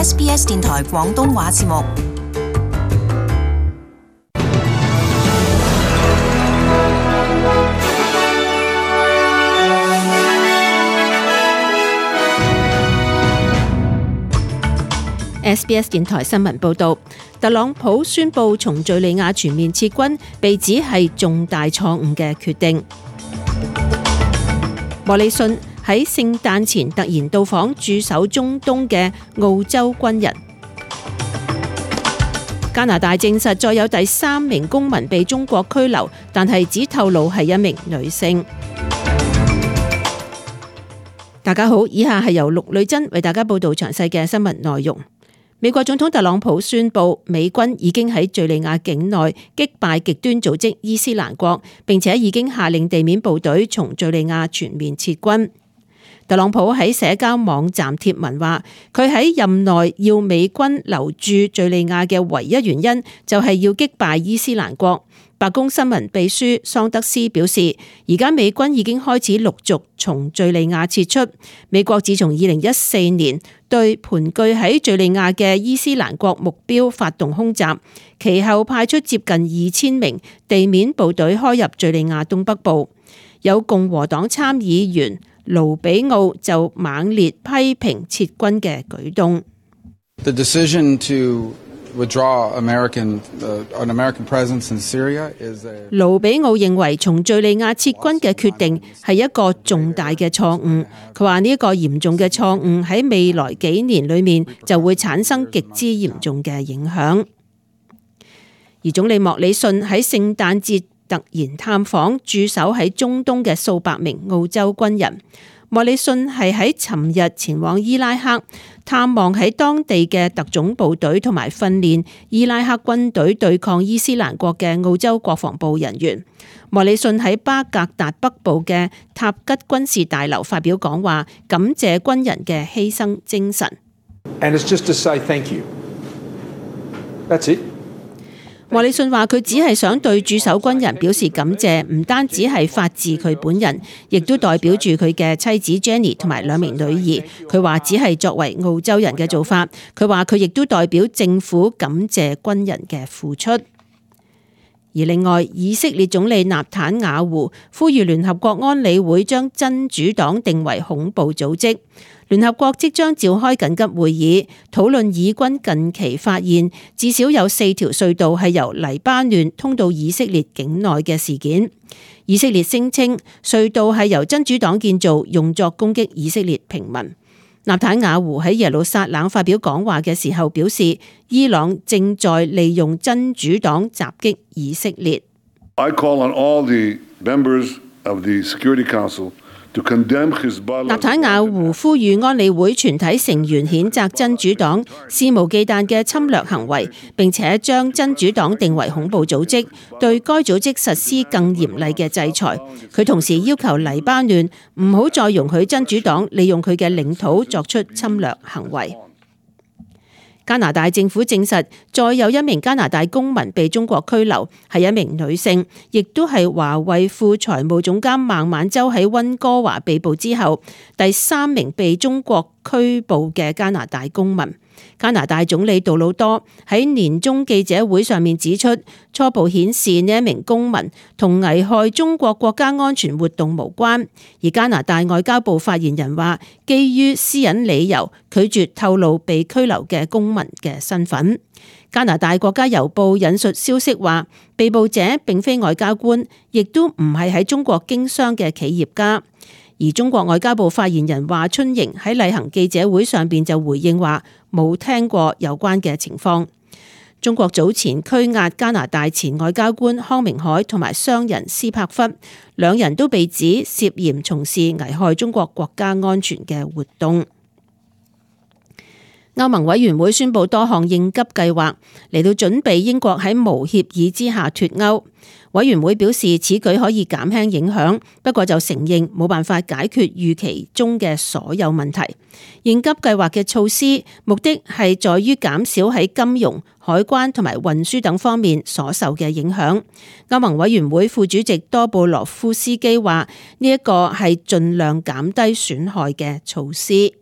SBS 電台廣東話節目。SBS 電台新聞報導，特朗普宣布從敘利亞全面撤軍，被指係重大錯誤嘅決定。莫里遜喺聖誕前突然到訪駐守中東嘅澳洲軍人。加拿大證實再有第3名公民被中國拘留，但係只透露係一名女性。大家好，以下係由陸女珍為大家報導詳細嘅新聞內容。美國總統特朗普宣布，美軍已經喺敘利亞境內擊敗極端組織伊斯蘭國，並且已經下令地面部隊從敘利亞全面撤軍。特朗普喺社交網站貼文話，佢喺任內要美軍留駐敘利亞嘅唯一原因就係要擊敗伊斯蘭國。白宮新聞秘書桑德斯表示，而家美軍已經開始陸續從敘利亞撤出。美國自從2014年對盤踞喺敘利亞嘅伊斯蘭國目標發動空襲，其後派出接近2000名地面部隊開入敘利亞東北部。有共和黨參議員盧比奧就猛烈批評撤軍嘅舉動。The decision to withdraw an American presence in Syria is a... 盧比奧認為從敘利亞撤軍嘅決定係一個重大嘅錯誤。佢話呢一個嚴重嘅錯誤喺未來幾年裏面就會產生極之嚴重嘅影響。而總理莫里遜喺聖誕節突然探訪駐守喺中東嘅數百名澳洲軍人。莫里遜係喺尋日前往伊拉克探望喺當地嘅特種部隊同埋訓練伊拉克軍隊對抗伊斯蘭國嘅澳洲國防部人員。莫里遜喺巴格達北部嘅塔吉軍事大樓發表講話，感謝軍人嘅犧牲精神。And it's just to say thank you. That's it. 莫里遜話佢只係想對駐守軍人表示感謝，唔單止係發自佢本人，亦都代表住佢嘅妻子 Jenny 同埋2名女兒。佢話只係作為澳洲人嘅做法。佢話佢亦都代表政府感謝軍人嘅付出。而另外，以色列總理納坦雅胡呼籲聯合國安理會將真主黨定為恐怖組織。聯合國即將召開緊急會議，討論以軍近期發現至少有4條隧道係由黎巴嫩通到以色列境內嘅事件。以色列聲稱隧道係由真主黨建造，用作攻擊以色列平民。納坦雅胡喺耶路撒冷發表講話嘅時候表示，伊朗正在利用真主黨襲擊以色列。I call on all the members of the Security Council to condemn Hezbollah。納坦雅胡呼籲安理會全體成員譴責真主黨肆無忌憚嘅侵略行為，並且將真主黨定為恐怖組織，對該組織實施更嚴厲嘅制裁。佢同時要求黎巴嫩唔好再容許真主黨利用佢嘅領土作出侵略行為。加拿大政府證實，再有一名加拿大公民被中國拘留，係一名女性，亦都係華為副財務總監孟晚舟喺溫哥華被捕之後，第3名被中國拘捕嘅加拿大公民。加拿大總理杜魯多喺年終記者會上面指出，初步顯示呢一名公民同危害中國國家安全活動無關。而加拿大外交部發言人話，基於私隱理由，拒絕透露被拘留嘅公民嘅身份。加拿大國家郵報引述消息話，被捕者並非外交官，亦都唔係喺中國經商嘅企業家。而中國外交部發言人華春瑩喺例行記者會上邊就回應話，冇聽過有關嘅情況。中國早前拘押加拿大前外交官康明凱同埋商人斯帕弗，2人都被指涉嫌從事危害中國國家安全嘅活動。歐盟委員會宣布多項應急計劃嚟到準備英國喺無協議之下脫歐。委員會表示此舉可以減輕影響，不過就承認冇辦法解決預期中嘅所有問題。應急計劃嘅措施目的係在於減少喺金融、海關同埋運輸等方面所受嘅影響。歐盟委員會副主席多布羅夫斯基話：呢一個係盡量減低損害嘅措施。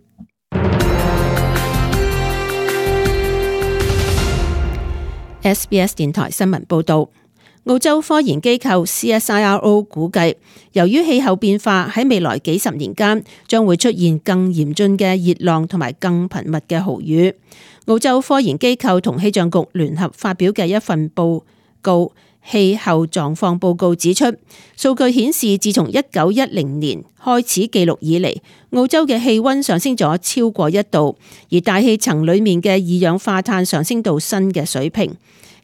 SBS 電台新聞報導。澳洲科研機構 CSIRO 估計，由於氣候變化喺未來幾十年間將會出現更嚴峻嘅熱浪同埋更頻密嘅豪雨。澳洲科研機構同氣象局聯合發表嘅一份報告氣候狀況報告指出，數據顯示自從1910年開始記錄以嚟，澳洲嘅氣溫上升咗超過1度，而大氣層裡面嘅二氧化碳上升到新嘅水平。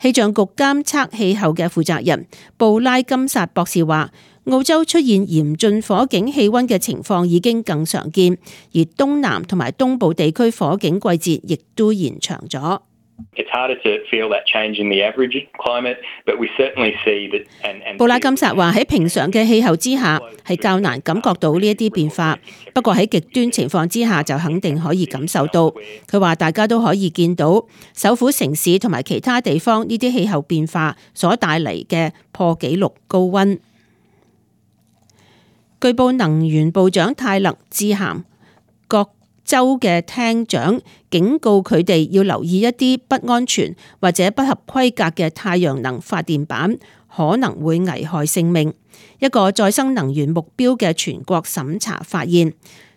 氣象局監測氣候嘅負責人布拉金薩博士話，澳洲出現嚴峻火警氣溫嘅情況已經更常見，而東南同埋東部地區火警季節亦都延長咗。布拉金薩話喺平常嘅氣候之下係較難感覺到呢一啲變化，不過喺極端情況之下就肯定可以感受到。佢話大家都可以見到首府城市同埋其他地方呢啲氣候變化所帶嚟嘅破紀錄高溫。據報能源部長泰勒致函各州嘅廳長，警告佢哋要留意一啲不安全或者不合規格嘅太陽能發電板，可能會危害性命。一個再生能源目標嘅全國審查發現，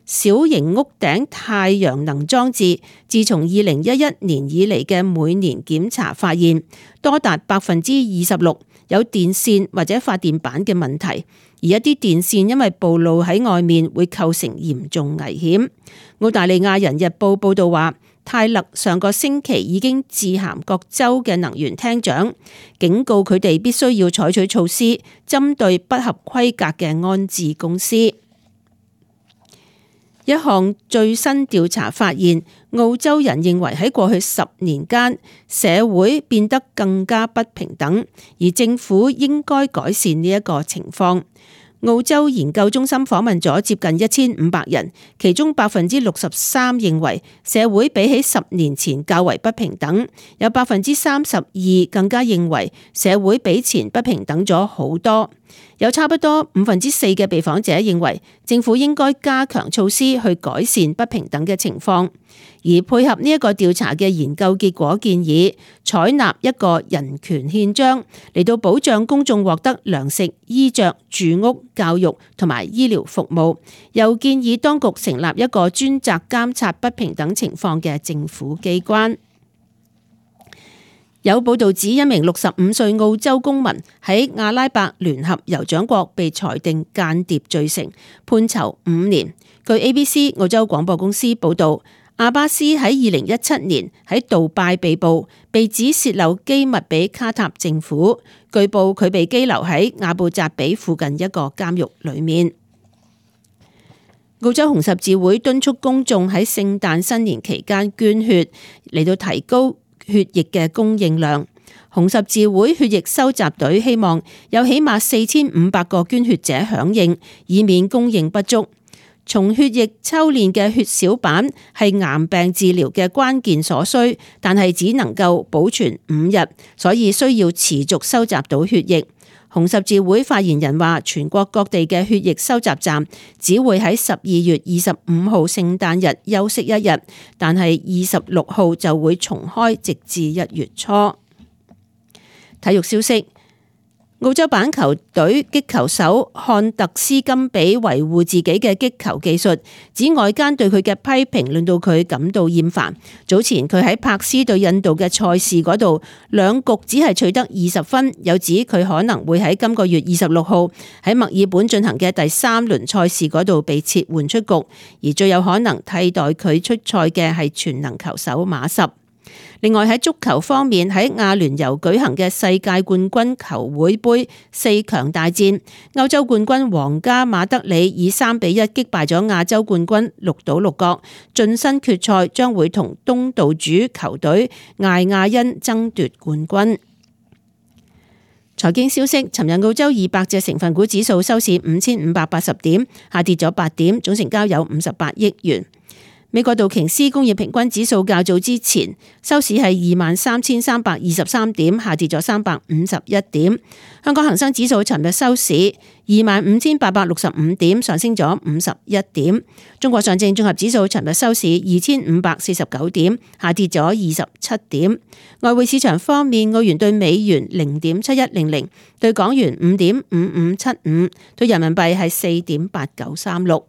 小型屋頂太陽能裝置自從2011年以嚟嘅每年檢查發現，多達26%有電線或者發電板嘅問題，而一啲電線因為暴露喺外面會構成嚴重危險。澳大利亞人日報報道話，泰勒上個星期已經致函各州嘅能源廳長，警告佢哋必須要採取措施，針對不合規格嘅安置公司。一項最新調查發現，澳洲人認為喺過去10年間，社會變得更加不平等，而政府應該改善呢一個情況。澳洲研究中心訪問咗接近1500人，其中63%認為社會比起10年前較為不平等，有32%更加認為社會比前不平等咗好多。有差不多4%嘅被訪者認為政府應該加強措施去改善不平等嘅情況，而配合呢一個調查嘅研究結果建議採納一個人權憲章嚟到保障公眾獲得糧食、衣着、住屋、教育同埋醫療服務，又建議當局成立一個專責監察不平等情況嘅政府機關。有報道指，一名65歲澳洲公民喺阿拉伯聯合酋長國被裁定間諜罪成，判囚5年。據 ABC 澳洲廣播公司報道，阿巴斯喺2017年喺杜拜被捕，被指洩漏機密俾卡塔政府。據報佢被羈留喺阿布扎比附近一個監獄裏面。澳洲紅十字會敦促公眾喺聖誕新年期間捐血，嚟到提高血液嘅供應量。紅十字會血液收集隊希望有起碼4500個捐血者響應，以免供應不足。從血液抽煉嘅血小板係癌病治療嘅關鍵所需，但係只能夠保存5日，所以需要持續收集到血液。紅十字會發言人話，全國各地嘅血液收集站只會喺12月25號聖誕日休息1日，但係26號就會重開，直至1月初。體育消息。澳洲板球隊擊球手漢特斯金比維護自己嘅擊球技術，指外間對佢嘅批評令到佢感到厭煩。早前佢喺柏斯對印度嘅賽事嗰度2局只係取得20分，又指佢可能會喺今個月26號喺墨爾本進行嘅第3輪賽事嗰度被撤換出局，而最有可能替代佢出賽嘅係全能球手馬什。另外喺足球方面，喺亞聯酋舉行嘅世界冠軍球會杯4強大戰，歐洲冠軍皇家馬德里以3-1擊敗咗亞洲冠軍鹿島鹿角，晉身決賽，將會同東道主球隊艾亞恩爭奪冠軍。財經消息，尋日澳洲200隻成分股指數收市5580點，下跌咗8點，總成交有58億元。美國道瓊斯工業平均指數較早之前收市係23,323點，下跌咗351點。香港恒生指數尋日收市25,865點，上升咗51點。中國上證綜合指數尋日收市2,549點，下跌咗27點。外匯市場方面，澳元對美元0.7100，對港元5.5575，對人民幣係4.8936。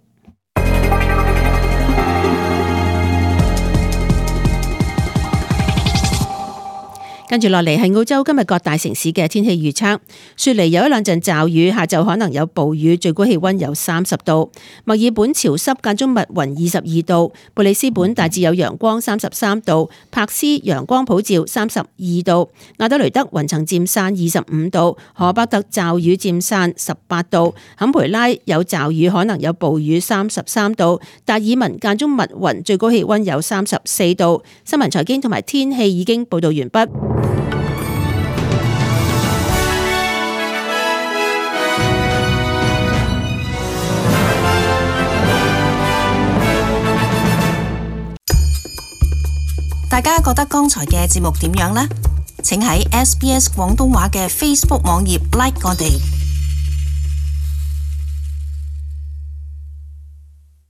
跟住落嚟係澳洲今日各大城市嘅天氣預測。雪梨有一兩陣驟雨，下晝可能有暴雨，最高氣溫有30度。墨爾本潮濕間中密雲22度。布里斯本大致有陽光33度。柏斯陽光普照32度。亞德雷德雲層漸散25度。荷伯特驟雨漸散18度。坎培拉有驟雨，可能有暴雨33度。達爾文間中密雲，最高氣溫有34度。新聞財經同埋天氣已經報道完畢。大家覺得剛才嘅節目點樣呢？請喺SBS 廣東話嘅 Facebook 網頁 like 我哋。